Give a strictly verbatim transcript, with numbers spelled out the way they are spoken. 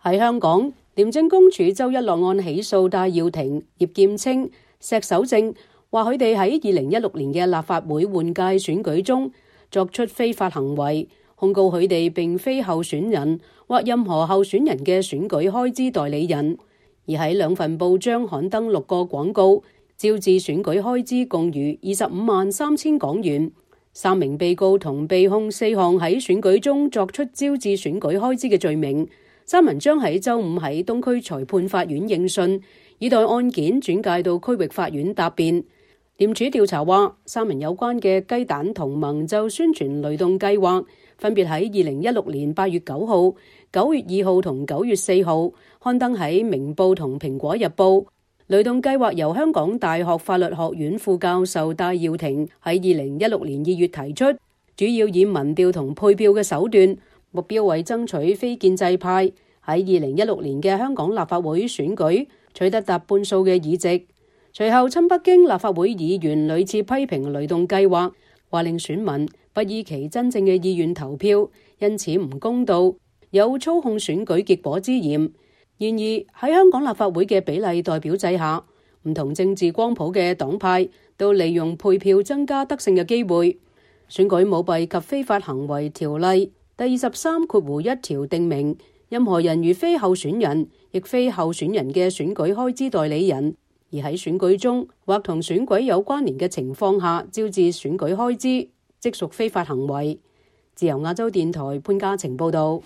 喺香港，廉政公署周一落案起訴戴耀廷、葉劍清、石守正，話佢哋喺二零一六年嘅立法會換屆選舉中作出非法行為，控告佢哋並非候選人或任何候選人嘅選舉開支代理人，而喺兩份報章刊登六個廣告，招致選舉開支共逾二十五萬三千港元。三名被告同被控四項喺選舉中作出招致選舉開支嘅罪名。三人將喺周五喺東區裁判法院應訊，以待案件轉介到區域法院答辯。廉署調查話，三人有關嘅雞蛋同盟就宣傳雷動計劃，分別喺二零一六年八月九號、九月二號同九月四號刊登喺《明報》同《蘋果日報》。雷動計劃由香港大學法律學院副教授戴耀廷喺二零一六年二月提出，主要以民調同配票嘅手段，目標為爭取非建制派喺二零一六年嘅香港立法會選舉取得達半數嘅議席。隨後親北京立法會議員屢次批評雷動計劃，話令選民不依其真正嘅意願投票，因此唔公道，有操控選舉結果之嫌。然而喺香港立法會嘅比例代表制下，唔同政治光譜嘅黨派都利用配票增加得勝嘅機會。選舉舞弊及非法行為條例第二十三括弧一條定明，任何人如非候選人，亦非候選人嘅選舉開支代理人，而喺選舉中或同選舉有關聯嘅情況下招致選舉開支，即屬非法行為。自由亞洲電台潘嘉晴報道。